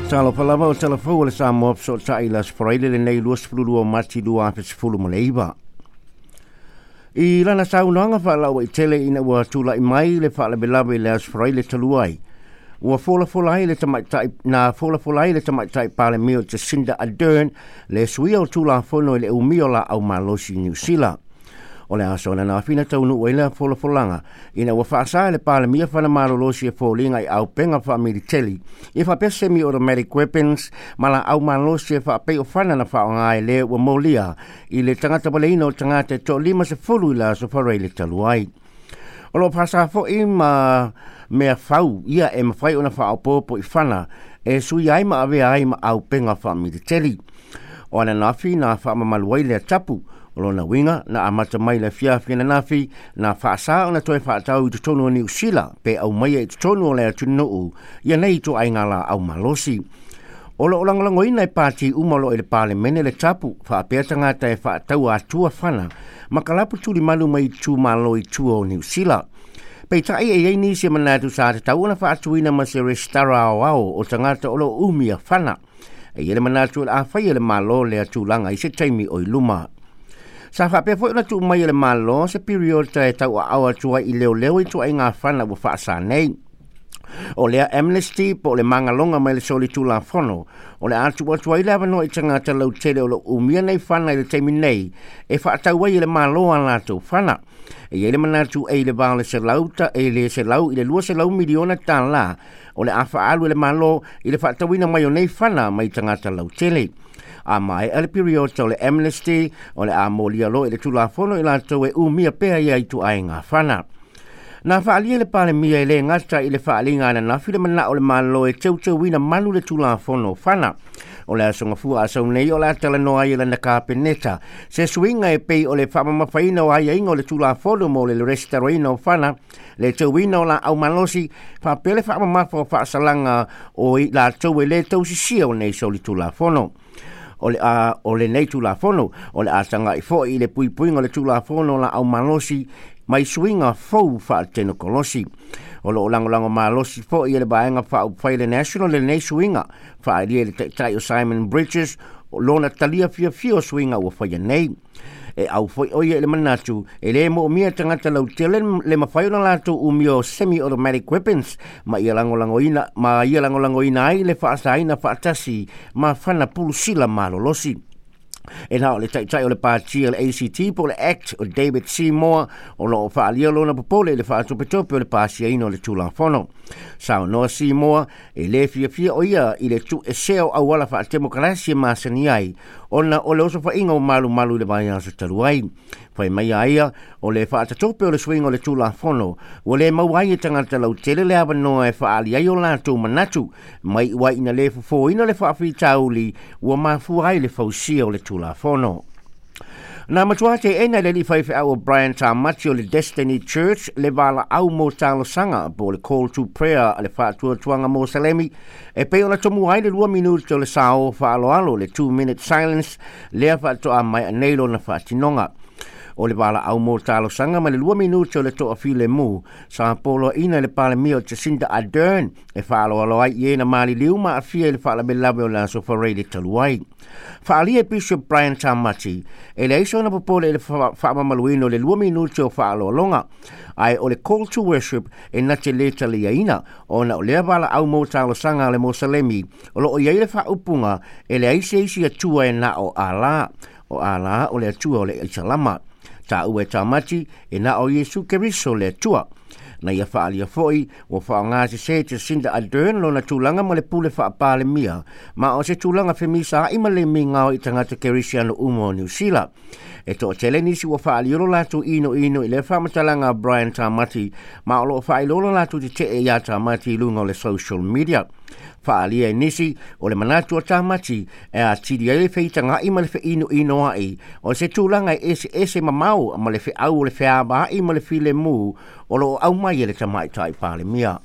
Talofa lava o tala fou o le Samoa Fesootai i le Aso Faraile lenei 22 o Mati 2019. I lana saunoaga faalauaitele ina ua tulai mai le faalavelave i le Aso Faraile talu ai, ua folafola ai le tamaitai na folafola ai le tamaitai Palemia o Jacinda Ardern le suia o Tulafono i le umia o laau malosi i Niu Sila. O le aso ananafi na taunuu ai lea folafolaga ina ua faasa e le Palemia fana malolosi e foliga i auupega faamiliteli ia faapea semi-automatic weapons ma laau malosi e faapei o fana na faaaoga e le ua molia i le tagata valeina o tagata e toa-50 i le aso Faraile talu ai. O lo o faasa foi ma mea fau ia e mafai ona faaopoopo i fana e suia ai ma avea ai ma auupega faamiliteli. O ananafi na faamamalu ai lea tapu. O lona uiga na amata mai le afiafi ananafi na faasa ona toe faatau i totonu o Niu Sila pe aumaia i totonu o le atunuu ia nei ituaiga laau malosi. O lo o lagolagoina e pati uma o lo o i le Palemene le tapu faapea tagata e faataua atua fana ma kalapu tulimalu mai itumalo i tua o Niu Sila. Peitai e i ai nisi e manatu sa tatau ona faatuina ma se resitara aoao o tagata o lo o umia fana. E i ai le manatu o le a faia e le Malo lea tulaga i se taimi o i luma. Sa faapea foi ona tuu mai e le Malo se piriota e tauaao atu ai i leoleo ituaiga fana ua faasa nei. O lea amnesty po o le magaloga mai le solitulafono o le a tuu atu ai le avanoa i tagata lautele o lo o umia nei fana i le taimi nei e faatau ai e le Malo a latou fana. E i ai le manatu e i le va o le 100 ta e le 100 i le 200 miliona tala o le a faaalu e le Malo i le faatauina mai o nei fana mai tagata lautele. A maea le piriota o le amnesty, o le a molia loa i le Tulafono i latou e umia pea ia ituaiga fana. Na faaalia e le Palemia e le gata i le faaaliga ananafi le manao o le Malo e teuteuina malu le Tulafono o fana. O le aso Gafua a sau nei o le a talanoa ai e lana Kapeneta se suiga e pei o le faamamafaina o aiaiga o le Tulafono mo le resitalaina o fana, le teuina o laau malosi, faapea le faamamafa o faasalaga o i latou e le tausisia o nei solitulafono. O le a o lenei Tulafono, o le a taga'i foi i le puipuiga o le Tulafono o laau malosi mai suiga fou faatenokolosi. O lo o lagolago malosi foi e le Vaega Faaupufai le National lenei suiga, faaalia e le Taitai o Simon Bridges lona talia fiafia o suiga ua faia nei. E au foi o ia i le manatu e le moomia tagata lautele le mafai ona latou umia o semi-automatic weapons ma ia lagolagoina ma ia lagolagoina ai le faasaina faatasi ma fana pulusila malolosi. E na o le taitai o le pati o le ACT po o le ACT o David Seymour o lo o faaalia lona popole i le faatopetope o le pasiaina o le Tulafono. Saunoa Seymour e le fiafia o ia i le tuuesea o auala faatemokarasi e masani ai ona o le osofaiga o malumalu i le vaiaso talu ai. Fai mai a ia o le faatatope o le suiga o le Tulafono ua le maua ai e tagata lautele le avanoa e faaali ai o latou manatu mai uai ina le fofoina le faafitauli ua mafua ai le fausia o le Tulafono. Na matua teena e le alii faifeau o Brian Tamati o le Destiny Church le valaau mo talosaga po o le Call to Prayer a le Faatuatuaga Mosalemi e pei ona tomua ai le 2 minute o le sao faaaloalo, le 2 minute silence, lea faatoa maea nei lona faatinoga. O le valaau mo talosaga ma le 2 minute o le toafilemu sa poloaiina e le Palemia o Jacinda Ardern e faaaloalo ai i e na maliliu ma aafia i le faalavelave o le aso Faraile talu ai. Faaalia e Bishop Brian Tamati, e leai sona popole i le faamamaluina o le 2 minute o faaaloaloga, ae o le call to worship e na te le taliaina ona o lea valaau mo talosaga a le Mosalemi o lo o i ai le faaupuga e leai se isi Atua e na o Allah, o Allah o le Atua o le Isalama. Taua e Tamati e na o Iesu Keriso le Atua. Na ia faaalia foi ua faaaogasesē Jacinda Ardern lona tulaga ma le pule faapalemia ma o se tulaga femisaa'i ma le migao i tagata Kerisiano uma o Niu Sila. E toatele nisi ua faaalia lo latou inoino i lea faamatalaga a Brian Tamati ma o lo o faailoa lo latou tetee iā Tamati i luga o le social media. Faaalia e nisi o le manatu o Tamati e atili ai le feitaga'i ma le feinoinoa'i o se tulaga e eseese mamao ma le feau o le feavaa'i ma le filemu o lo o aumai e le tamaitai Palemia.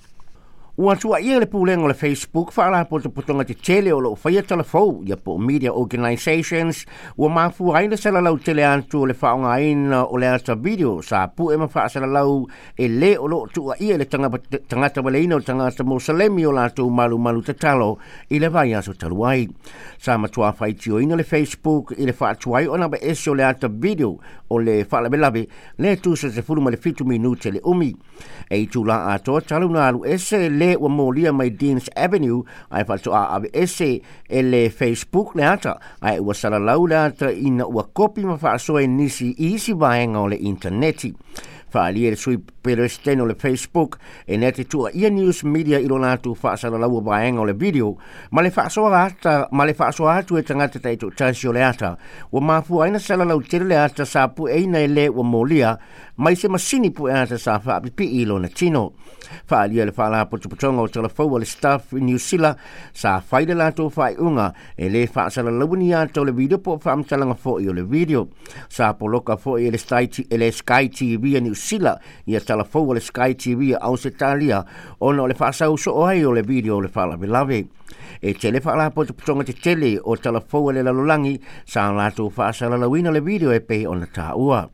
Ua tuuaia e le Pulega o le Facebook faalapotopotoga tetele o loo faia talafou ia po o media organizations ua mafua ai le salalau tele atu o le faaaogaina o le ata video sa pue ma faasalalau e lē o loo tuuaia i le tagata valeina o le tagata Mosalemi o latou malumalu tatalo i le vaiaso talu ai. Sa matuā faitioina le Facebook i le faatuai ona aveese o le ata video o le faalavelave lea tusa 17 minute le umi. E itulā atoa talu na alu ese lē ua molia mai Deans Avenue ae faatoa aveese e le Facebook le ata, ae ua salalau le ata ina ua kopi ma faasoa e nisi i isi vaega o le intaneti. Faaalia e le sui Peresetene o le Facebook e na te tuuaia news media i lo latou faasalalaua vaega o le video ma le faasoa ata ma le faasoa atu e tagata taitoatasi o le ata ua mafua ai na salalau tele le ata sa pueina e lē ua molia mai se masini pue ata sa faapipii i lona tino. Faaalia e le faalapotopotoga o talafou a le Stuff i Niu Sila sa fai le latou faaiuga e lē faasalalaua ni ata o le video po o faamatalaga foʻi o le video. Sa poloka foʻi e le e le Sky TV a Niu Sila ia talafou a le Sky TV a Ausetalia ona o le faasau soo ai o le video o le faalavelave. E tele faalapotopotoga tetele o talafou a le lalolagi sa latou faasalalauina le video e pei ona taua.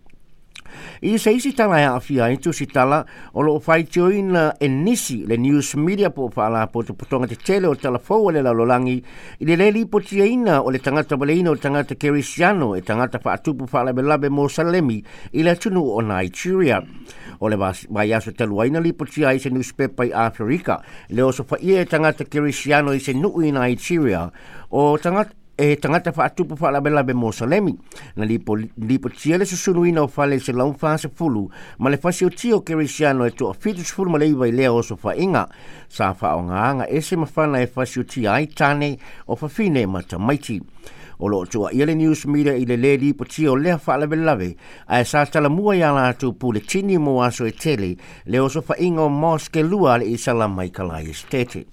I se isi tala e aafia ai tusitala o loo faitioina e nisi le news media po o faalapotopotoga tetele o talafou a le lalolagi i le lē lipotiaina o le tagata valeina o le tagata Kerisiano e tagata faatupu faalavelave Mosalemi i le atunuu o Nigeria. O le vaiaso talu ai na lipotia ai se newspaper i Aferika le osofaia e tagata Kerisiano i se nuu i Nigeria o tagata e tagata faatupu faalavelave Mosalemi. Na lipotia le susunuina o fale i 140 ma le fasiotia o Kerisiano e 79 i lea osofaiga. Sa faaaogāga ese mafana e fasiotia ai tane o fafine ma tamaiti. O loo tuuaia le news media i le lē lipotia o lea faalavelave ae sa talamua iā latou puletini mo aso e tele le osofaiga o mosque lua a le Isalama i Kalae Esitete.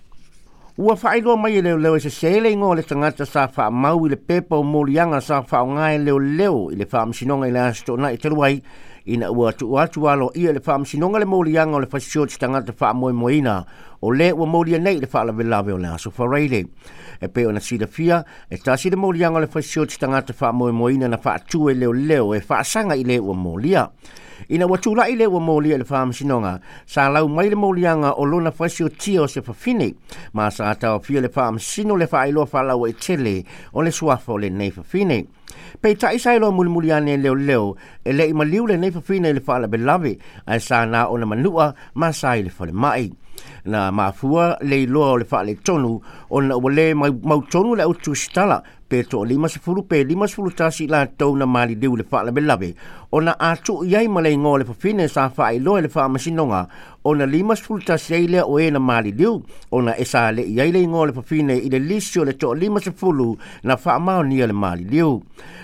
Ua faailoa mai e leoleo e sesē le igoa o le tagata sa faamau i le pepa o moliaga sa faaaogā e leoleo i le faamasinoga i le aso Toonai talu ai ina ua tuu atu aloaia i le faamasinoga le moliaga o le fasioti tagata faamoemoeina o lē ua molia nei i le faalavelave o le aso Faraile. E pei ona silafia e tasi le moliaga o le fasioti tagata faamoemoeina na faatu e leoleo e faasaga i lē ua molia. Ina ua tulaʻi lē ua molia i le faamasinoga sa lau mai le moliaga o lona fasiotia o se fafine ma sa taofia le faamasino le faailoa faalauaitele o le suafa o lenei fafine. Peitai sa iloa mulimuli ane e leoleo e leʻi maliu lenei fafine i le faalavelave ae sa na ona manua ma sa i le falemai. Na mafua le iloa o le faaletonu ona ua lē mautonu le au tusitala pe 50 pe 51 latou na maliliu i le faalavelave ona a tuu i ai ma le igoa o le fafine sa faailoa i le faamasinoga ona 51 ai lea o e na maliliu ona e sa leʻi ai le igoa o le fafine i le lisi o le 50 na faamaonia le maliliu.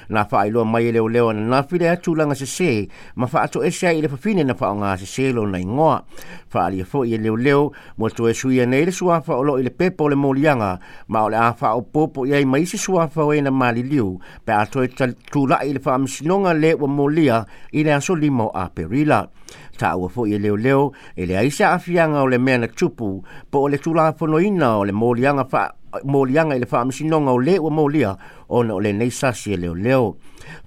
Na faailoa mai e leoleo ananafi lea tulaga sesē ma faatoese ai i le fafine na faaaogā sesē lona igoa. Faaalia foʻi e leoleo ua toe suia nei le suafa o loo i le pepa o le moliaga ma o le a faaopoopo i ai ma isi suafa o e na maliliu pe a toe tulaʻi i le faamasinoga lē ua molia i le aso 5 o Aperila. Taua foʻi e leoleo e leai se aafiaga o le mea na tupu po o le tulafonoina o le moliaga moliaga i le faamasinoga o lē ua molia ona o lenei sasi e leoleo.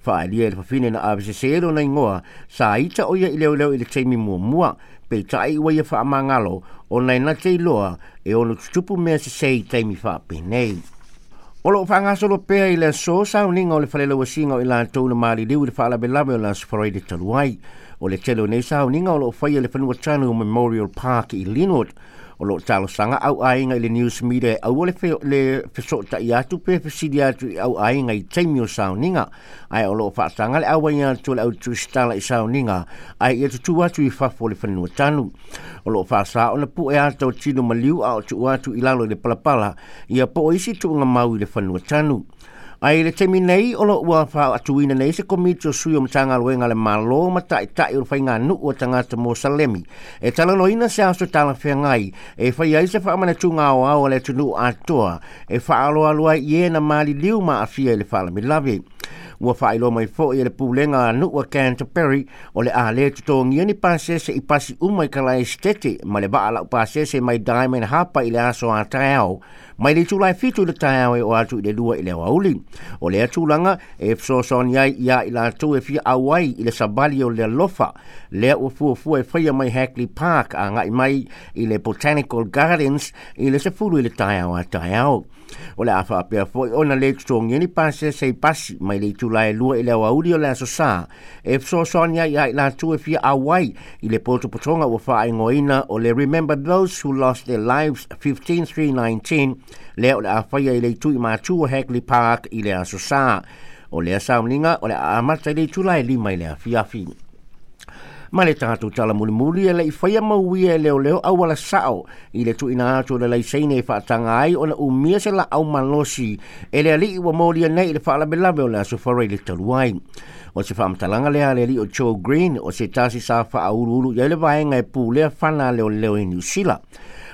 Faaalia e le fafine na avesesē lona igoa sa ita o ia i leoleo i le taimi muamua peitai ua ia faamagalo ona e na te iloa e ono tutupu mea sesē i taimi faapenei. O loo faagasolo pea i le aso sauniga o le falelauasiga o i latou na maliliu i le faalavelave o le aso Faraile talu ai. O le tele o nei sauniga o loo faia i le fanua tanu Memorial Park i Linwood. O loo talosaga au aiga i le news media e aua le fesoʻotaʻi atu pe fesili atu i au aiga i taimi o sauniga ae o loo faataga le auai atu o le au tusitala i sauniga ae ia tutū atu i fafo o le fanua tanu. O loo faasā ona puʻe ata o tino maliu a o tuu atu i lalo i le palapala ia po o isi tuuga mau i le fanua tanu. Ae i le taimi nei o loo ua faaatuina nei se komiti o sui o Matagaluega a le Mālō ma taʻitaʻi o le faiganuu a tagata Mosalemi e talanoaina se aso talafeagai e fai ai se faamanatuga aoao a le atunuu atoa e faaaloalo ai i e na maliliu ma aafia i le faalavelave. Ua faailoa mai foi e le pulega a nuu o Canterbury o le a le totogia ni pasese i pasi uma i kalae Esetete ma le vaa laupasese mai Diamond Harbour i le aso a taeao mai le itula e 7 i le taeao e oo atu i le 2 i le aoauli. O lea tulaga e fesoasoani ai ia i latou e fia auai i le savali o le alofa lea ua fuafua e faia mai Hagley Park agai mai i le Botanical Gardens i le 10 i le taeao a taeao. O le a faapea foi ona le totogia ni pasese i pasi mai le itula e 2 i le aoauli o le aso Sa e fesoasoani ai ia i latou e fia auai i le potopotoga ua faaigoaina o le Remember Those Who Lost Their Lives 15-3-19 lea o le a faia i le itu i matu o Hagley Park i le aso Sa. O lea sauniga o le a amata i le itula e 5 i le afiafi. Ma le tatou tala mulimuli e le i faia mauia e leoleo auala sao i le tuuina atu o le laiseine e faataga ai ona umia se laau malosi e le alii ua molia nei i le faalavelave o le aso Faraile talu ai. O se faamatalaga lea a le alii o Joe Green o se tasi sa faauluulu i ai le vaega e pulea fana a leoleo i Niu Sila.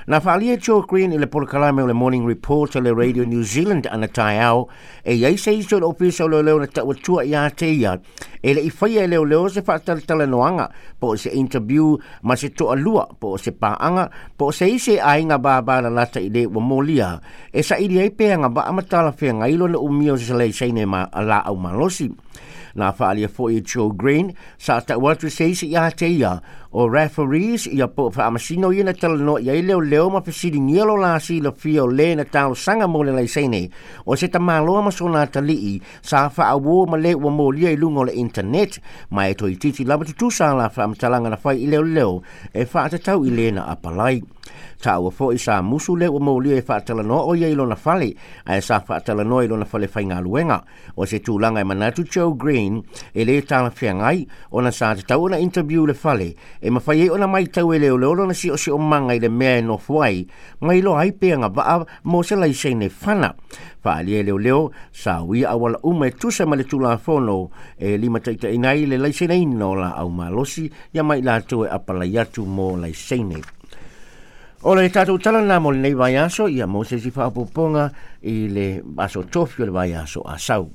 Na faaalia e Joe Green i le polokalame o le Morning Report a le Radio New Zealand ana taeao e i ai se isi o le ofisa o leoleo na tauatua ia te ia e le i faia e leoleo se faatalatalanoaga po o se interview ma se toalua po o se paaga po o se isi e aiga vavalalata i le ua molia e saili ai pe agavaa ma talafeagai lona umia o se laiseine ma laau malosi. Na faaalia foi e Joe Green sa tau atu se isi ia te ia o referees ia po o faamasino ia na talanoa i ai leoleo ma fesiligia lo la silafia o le na talosaga mo le laiseine o se tamaloa ma sona atalii sa faauo ma le ua molia i luga o le internet ma e toeitiiti lava tutusa la faamatalaga na fai i leoleo e faatatau i le na apalai. Taua foi sa musu le ua molia e faatalanoa o ia i lona fale ae sa faatalanoa i lona fale faigaluega. O se tulaga e manatu Joe Green e le talafeagai ona sa tatau ona interview le fale e mafai ai ona matau e leoleo lona siosiomaga i le mea e nofo ai ma iloa ai pe agavaa mo se laiseine fana. Faaalia e leoleo sa uia auala uma e tusa ma le tulafono e limataitaiina ai le laiseneina o laau malosi ia ma i latou e apalai atu mo laiseine. O le tatou tala lena mo lenei vaiaso, ia mo se isi faaopoopoga i le aso tofi o le vaiaso a sau.